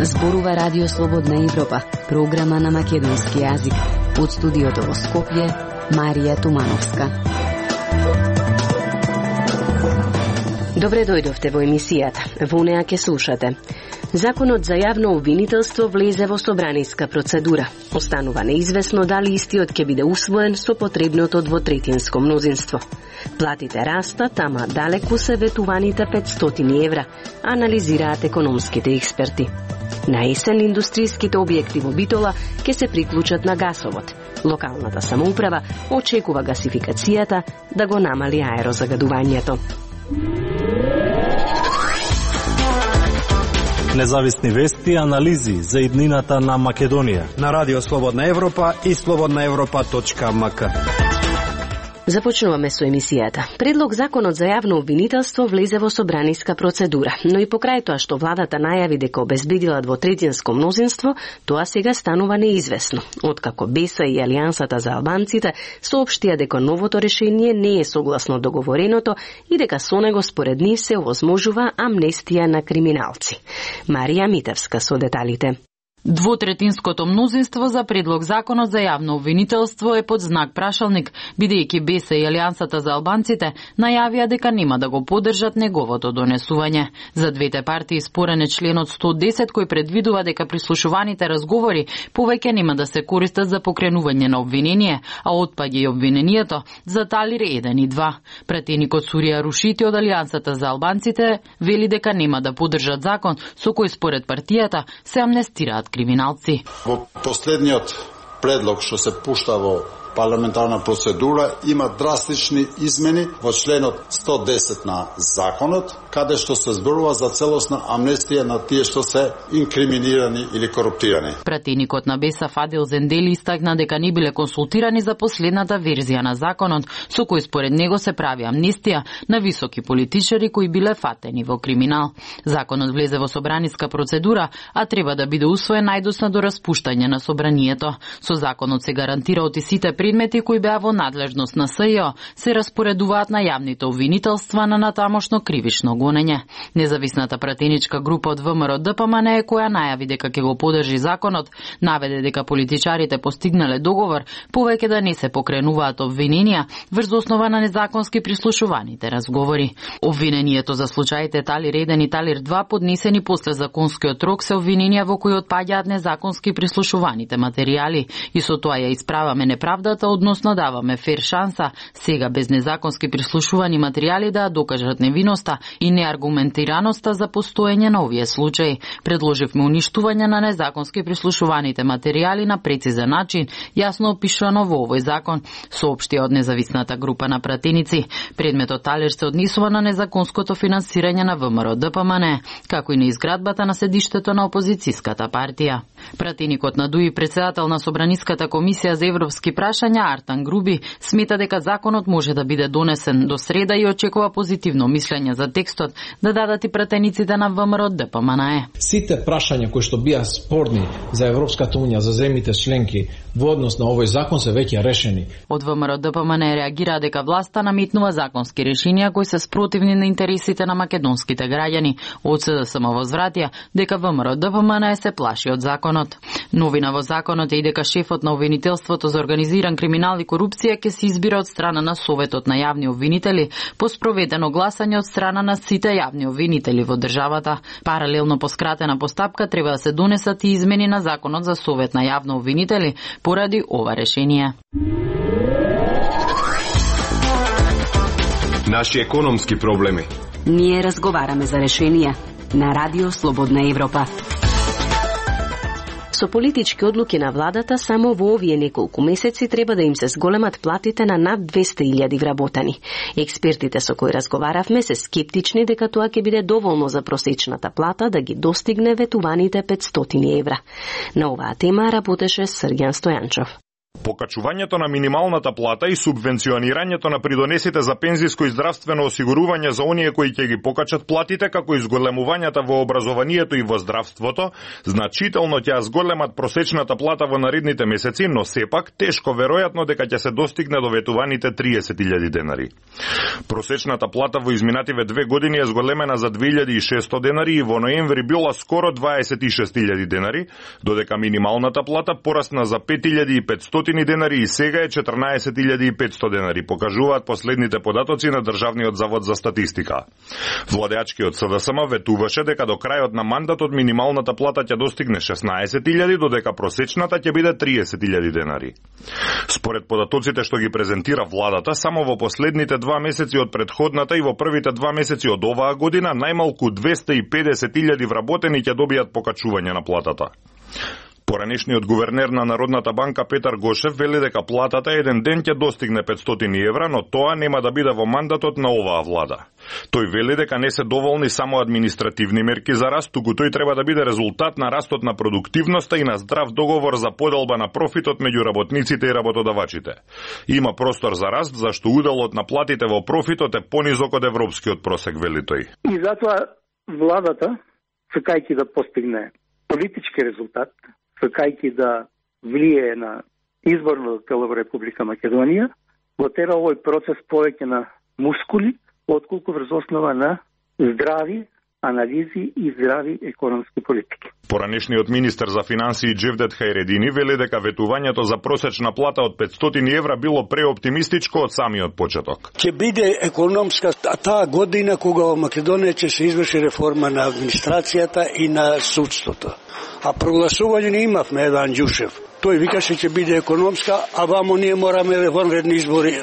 Зборува Радио Слободна Европа, програма на македонски јазик. Од студиото во Скопје, Марија Тумановска. Добре дојдовте во емисијата. Во неа ќе слушате. Законот за јавно обвинителство влезе во собраниска процедура. Останува неизвестно дали истиот ќе биде усвоен со потребното двотретинско мнозинство. Платите растат, ама далеку се ветуваните 500 евра, анализираат економските експерти. На есен индустријските објекти во Битола ќе се приклучат на гасовод. Локалната самоуправа очекува гасификацијата да го намали аерозагадувањето. Независни вести и анализи за иднината на Македонија на Радио Слободна Европа и slobodnaevropa.mk. Започнуваме со емисијата. Предлог законот за јавно обвинителство влезе во собраниска процедура, но и покрај тоа што владата најави дека обезбедила двотретинско мнозинство, тоа сега станува неизвестно. Откако БЕСА и Алијансата за албанците соопштија дека новото решение не е согласно договореното и дека со него според нив се овозможува амнестија на криминалци. Марија Митевска со деталите. Двотретинското мнозинство за предлог законот за јавно обвинителство е под знак прашалник, бидејќи БЕСА и Алијансата за албанците најавија дека нема да го поддржат неговото донесување. За двете партии спорен е членот 110 кој предвидува дека прислушуваните разговори повеќе нема да се користат за покренување на обвинение, а отпаѓа и обвинението за Талир 1 и 2. Пратеникот Сурија Рушити од Алијансата за албанците вели дека нема да поддржат закон со кој според партијата се амнестираат криминалци. Во последниот предлог што се пушта во парламентарна процедура има драстични измени во членот 110 на законот, каде што се зборува за целосна амнестија на тие што се инкриминирани или коруптирани. Пратеникот на БЕСА Фадил Зендели истакна дека не биле консултирани за последната верзија на законот, со кој според него се прави амнестија на високи политичари кои биле фатени во криминал. Законот влезе во собраниска процедура, а треба да биде усвоен најдосно до распуштање на собранието. Со законот се гарантира оти сите предмети кои беа во надлежност на СЈО се распоредуваат на јавните обвинителства на натамошно кривично гонење. Независната пратеничка група од ВМРО ДПМН која најави дека ќе го поддржи законот, наведе дека политичарите постигнале договор повеќе да не се покренуваат обвиненија врз основа на незаконски прислушуваните разговори. Обвинението за случаите Талир 1 и Талир 2 поднесени после законскиот рок се обвиненија во кои отпаѓаат незаконски прислушуваните материјали и со тоа ја исправаме неправдата, односно даваме фер шанса сега без незаконски прислушувани материјали да докажат невиноста и неаргументираноста за постоење на овие случаи. Предложивме уништување на незаконски прислушуваните материјали на прецизен начин, јасно опишано во овој закон, соопштија од независната група на пратеници. Предметот Талир се однесува на незаконското финансирање на ВМРО ДПМН, како и на изградбата на седиштето на опозицијската партија. Пратеникот на ДУИ, председател на Собраниската комисија за европски прашања Артан Груби, смета дека законот може да биде донесен до среда и очекува позитивно мислење за текстот да дадат и пратениците на ВМРО ДПМН. Сите прашања кои што бија спорни за Европската унија, за земјите членки во однос на овој закон се веќе решени. Од ВМРО ДПМН реагира дека власта наметнува законски решенија кои се спротивни на интересите на македонските граѓани. Од СДСМ возвратија дека ВМРО ДПМН се плаши од законот. Новина во законот е и дека шефот на обвинителството за организиран криминал и корупција ќе се избира од страна на Советот на јавни обвинители по спроведено гласање од страна на сите јавни обвинители во државата. Паралелно по скратена постапка треба да се донесат и измени на законот за Совет на јавни обвинители поради ова решение. Наши економски проблеми. Ние разговараме за решенија на Радио Слободна Европа. Со политички одлуки на владата, само во овие неколку месеци треба да им се зголемат платите на над 200.000 вработани. Експертите со кои разговаравме се скептични дека тоа ќе биде доволно за просечната плата да ги достигне ветуваните 500 евра. На оваа тема работеше Срѓан Стојанчов. Покачувањето на минималната плата и субвенционирањето на придонесите за пензиско и здравствено осигурување за оние кои ќе ги покачат платите, како и зголемувањата во образованието и во здравството, значително ќе зголемат просечната плата во наредните месеци, но сепак тешко веројатно дека ќе се достигне до ветуваните 30.000 денари. Просечната плата во изминативе 2 години е зголемена за 2.600 денари и во ноември била скоро 26.000 денари, додека минималната плата порасна за 5.500 денари и сега е 14.500 денари, покажуваат последните податоци на Државниот завод за статистика. Владеачкиот СДСМ ветуваше дека до крајот на мандатот минималната плата ќе достигне 16.000, додека просечната ќе биде 30.000 денари. Според податоците што ги презентира владата, само во последните 2 месеци од претходната и во првите 2 месеци од оваа година најмалку 250.000 вработени ќе добијат покачување на платата. Поранешниот гувернер на Народната банка Петар Гошев вели дека платата еден ден ќе достигне 500 евра, но тоа нема да биде во мандатот на оваа влада. Тој вели дека не се доволни само административни мерки за раст, туку тој треба да биде резултат на растот на продуктивноста и на здрав договор за поделба на профитот меѓу работниците и работодавачите. Има простор за раст, зашто уделот на платите во профитот е понизок од европскиот просек, вели тој. И затоа владата, сакајќи да постигне политички резултат, сакајќи да влие на изборното тело во Република Македонија, го тера овој процес повеќе на мускули, отколку врз основа на здрави анализи и здрави економски политики. Поранешниот министер за финансии Джевдет Хајредини вели дека ветувањето за просечна плата од 500 евра било преоптимистичко од самиот почеток. Ќе биде економска таа година кога во Македонија ќе се изврши реформа на администрацијата и на судството. А прогласување не имавме Еван Ѓушев. Тој викаше ќе биде економска, а вамо ние мораме вонредни избори.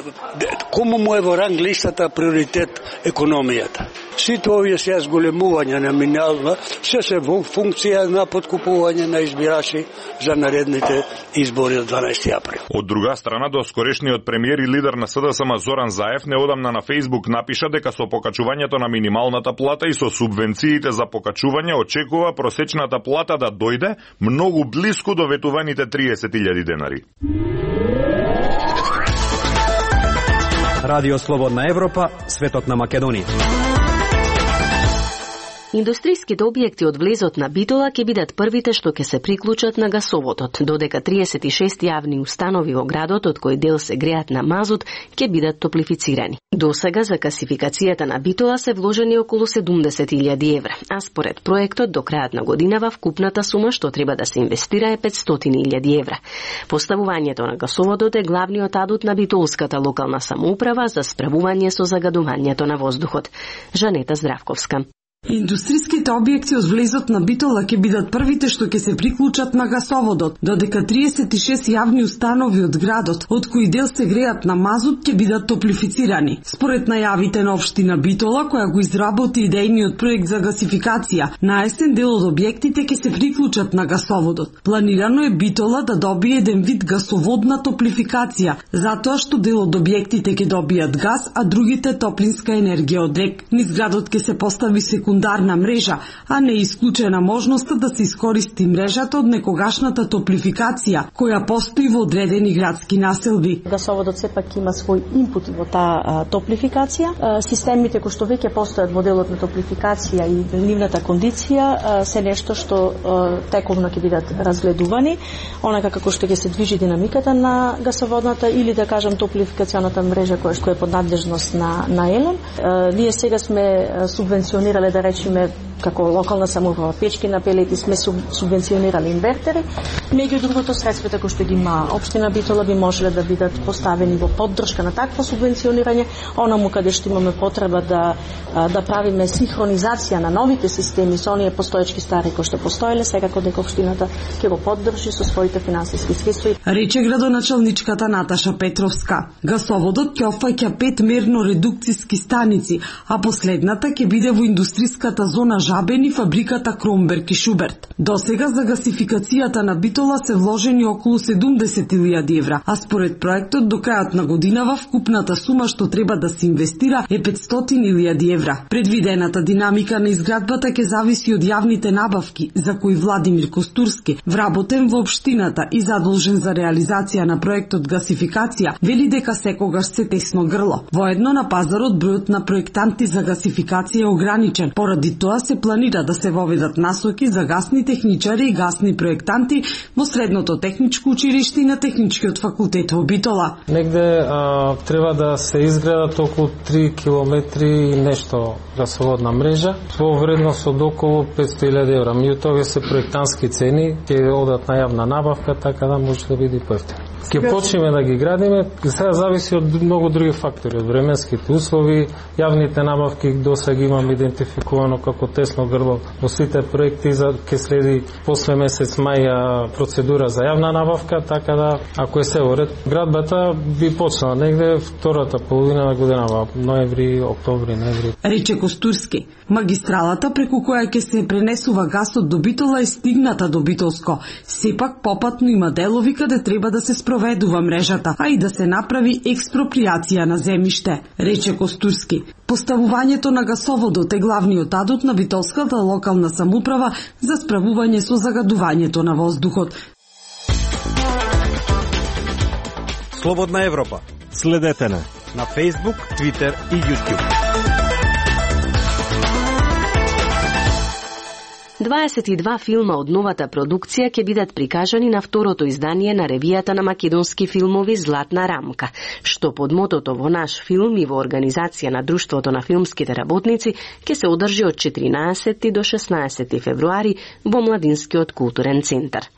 Кому му е во ранг листата приоритет економијата? Сите овие се зголемувања на минимална се во функција на подкупување на избирачи за наредните избори од 12 април. Од друга страна, доскорешниот премиер и лидер на СДСМ Зоран Заев неодамна на Фејсбук напиша дека со покачувањето на минималната плата и со субвенциите за покачување очекува просечната плата да дојде многу блиску до ветуваните 30.000 денари. Радио Слободна Европа, светот на Македонија. Индустријските објекти од влезот на Битола ќе бидат првите што ќе се приклучат на гасоводот, додека 36 јавни установи во градот, од кои дел се греат на мазут, ќе бидат топлифицирани. Досега за гасификацијата на Битола се вложени околу 70.000 евра, а според проектот до крајот на годинава вкупната сума што треба да се инвестира е 500.000 евра. Поставувањето на гасоводот е главниот адут на битолската локална самоуправа за справување со загадувањето на воздухот. Жанета Здравковска. Индустријските објекти од влезот на Битола ќе бидат првите што ќе се приклучат на гасоводот, додека 36 јавни установи од градот, од кои дел се греат на мазут, ќе бидат топлифицирани. Според најавите на општина Битола, која го изработи идејниот проект за гасификација, на есен дел од објектите ќе се приклучат на гасоводот. Планирано е Битола да добие еден вид гасоводна топлификација, затоа што дел од објектите ќе добијат газ, а другите топлинска енергија од рек. Низ градот ќе се постави секундарна мрежа, а не е исклучена можноста да се искористи мрежата од некогашната топлификација, која постои во одредени градски населби. Гасоводот сепак има свој инпут во таа топлификација. Системите кои што веќе постојат во делот на топлификација и нивната кондиција се нешто што тековно ќе бидат разгледувани, онака како што ќе се движи динамиката на гасоводната или да кажам топлификационата мрежа која е под надлежност на ЕЛЕМ. Ние сега сме субвенционирале, да речеме, како локална самоуправа, печки на пелети, сме субвенционирали инвертери. Меѓу другото, средствата кои што ги има општина Битола би можеле да бидат поставени во поддршка на такво субвенционирање, онаму каде што имаме потреба да правиме синхронизација на новите системи со оние постоечки стари кои што постоеле, секако дека општината ќе го поддржи со своите финансиски средства. Рече градоначалничката Наташа Петровска. Гасоводот ќе опфаќа 5 мерно редукциски станици, а последната ќе биде во индустријската зона Жабени, фабриката Кромберг и Шуберт. Досега за гасификацијата на Битола се вложени околу 70.000 евра, а според проектот до крајот на годинава вкупната сума што треба да се инвестира е 500.000 евра. Предвидената динамика на изградбата ќе зависи од јавните набавки, за кои Владимир Костурски, вработен во општината и задолжен за реализација на проектот гасификација, вели дека секогаш се тесно грло. Воедно на пазарот бројот на проектанти за гасификација е ограничен. Поради тоа се планира да се воведат насоки за гасни техничари и гасни проектанти во Средното техничко училиште и на Техничкиот факултет во Битола. Негде треба да се изградат околу 3 километри и нешто гасоводна мрежа во вредност од околу 500.000 евра. Меѓутоа се проектантски цени, ќе одат на јавна набавка, така да може да биде поевтино. Ќе почнеме да ги градиме, сега зависи од многу други фактори, од временските услови, јавните набавки досега ги имам идентификувано како тесно грло во сите проекти, ќе следи после месец мај процедура за јавна набавка, така да ако е се уред, градбата би почнала негде втората половина на годинава, ноември, октомври, ноември. Рече Костурски, магистралата преку која ќе се пренесува гасот до Битола е стигната до Битолско. Сепак попатно има делови каде треба да се спроведува мрежата, а и да се направи експроприација на земјиште, рече Костурски. Поставувањето на гасоводот е главниот адут на битолската локална самоуправа за справување со загадувањето на воздухот. Слободна Европа. Следете на Facebook, Twitter и YouTube. 22 филма од новата продукција ќе бидат прикажани на второто издание на ревијата на македонски филмови Златна рамка, што под мотото Во наш филм и во организација на Друштвото на филмските работници ќе се одржи од 14 до 16 февруари во Младинскиот културен центар.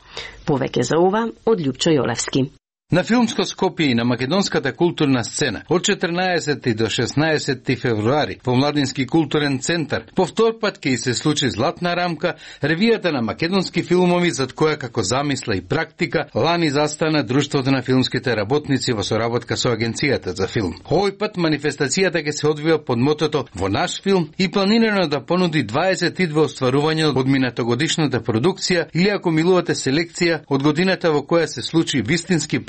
Повеќе за ова од Љупчо Јолевски. На филмско Скопје и на македонската културна сцена од 14 до 16 февруари во Младински културен центар повтор пат ќе се случи Златна рамка, ревијата на македонски филмови зад која како замисла и практика лани застана Друштвото на филмските работници во соработка со Агенцијата за филм. Овој пат манифестацијата ќе се одвива под мотото Во наш филм и планирано да понуди 22 остварувања од минатогодишната продукција или ако милувате селекција од годината во која се случи вистински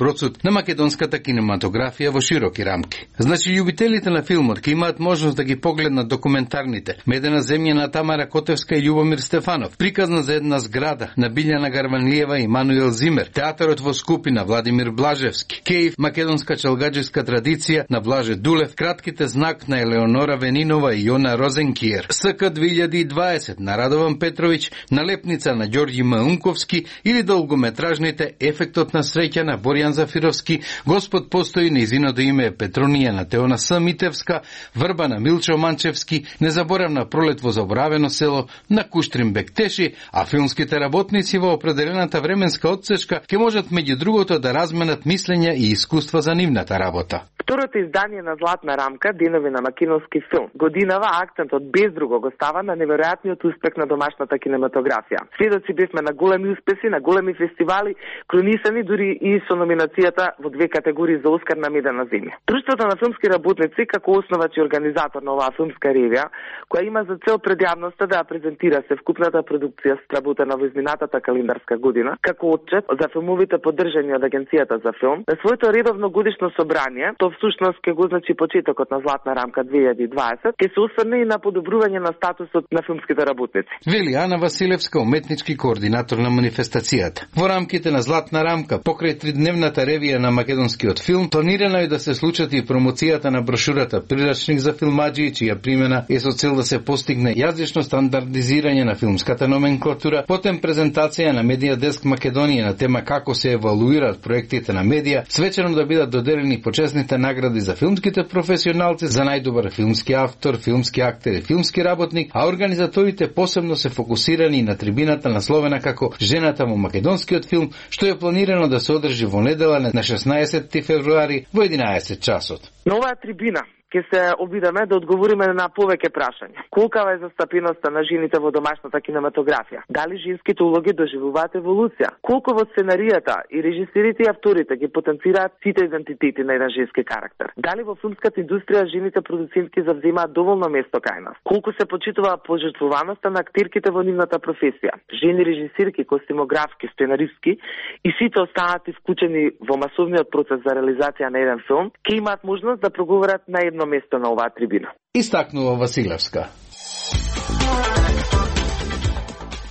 на македонската кинематографија во широки рамки. Значи, љубителите на филмот ќе имаат можност да ги погледнат документарните Медена земја на Тамара Котевска и Љубомир Стефанов, приказна за една зграда на Билјана Гарванлиева и Мануел Зимер, театарот во Скупи на Владимир Блажевски, Кејв, македонска челгаџиска традиција на Блаже Дулев, кратките знак на Елеонора Венинова и Јона Розенкиер, СК 2020 на Радован Петровиќ, Налепница на Ѓорѓи Маунковски или долгометражните Ефектот на среќа на Боријан Зафировски, Господ постои, нејзиното име е Петронија на Теона С. Митевска, Врба на Милчо Манчевски, Незаборавна пролет во заборавено село на Куштрин Бектеши, а филмските работници во определената временска отсечка ќе можат меѓу другото да разменат мислења и искуства за нивната работа. Второто издание на Златна рамка, Денови на македонски филм. Годинава акцентот без друго го става на неверојатниот успех на домашната кинематографија. Сведоци бевме на големи успеси, на големи фестивали, кронисани дури и со номинацијата во 2 категории за Оскар на Медена земја. Друштвото на филмски работници, како основач и организатор на оваа филмска ревија, која има за цел пред јавноста да ја презентира севкупната продукција сработена во изминатата календарска година, како отчет за филмовите поддржани од Агенцијата за филм, на своето редовно годишно собрание, то всушност ќе го значи почетокот на Златна рамка 2020, ќе се осврне и на подобрување на статусот на филмските работници. Вели Ана Василевска, уметнички координатор на манифестацијата. Во рамките на Златна рамка, покрај тридневната ревија на македонскиот филм, планирано е да се случат и промоцијата на брошурата Прирачник за филмаџии, чија примена е со цел да се постигне јазично стандардизирање на филмската номенклатура, потем презентација на Медија Деск Македонија на тема како се евалуираат проектите на медија, свечено да бидат доделени почесните награди за филмските професионалци за најдобар филмски автор, филмски актер и филмски работник, а организаторите посебно се фокусирани на трибината насловена како Жената во македонскиот филм, што е планирано да се одржи во недела на 16 февруари во 11 часот. На оваа трибина ќе се обидеме да одговориме на повеќе прашања. Колкава е застапеноста на жените во домашната кинематографија? Дали женските улоги доживуваат еволуција? Колку во сценаријата и режисерите и авторите ги потенцираат сите идентитети на еден женски карактер? Дали во филмската индустрија жените продуцентки завземаат доволно место кај нас? Колку се почитува пожртвуваноста на актерките во нивната професија? Жени режисерки, костимографки, сценаристки и сите останати вклучени во масовниот процес за реализација на еден филм, ќе имаат можност да проговорат на едно место на оваа трибина. Истакнува Василевска.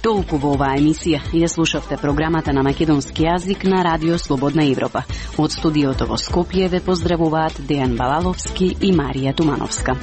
Толку во оваа емисија. Ја слушавте програмата на македонски јазик на Радио Слободна Европа. Од студиото во Скопје ве поздравуваат Дејан Балаловски и Марија Тумановска.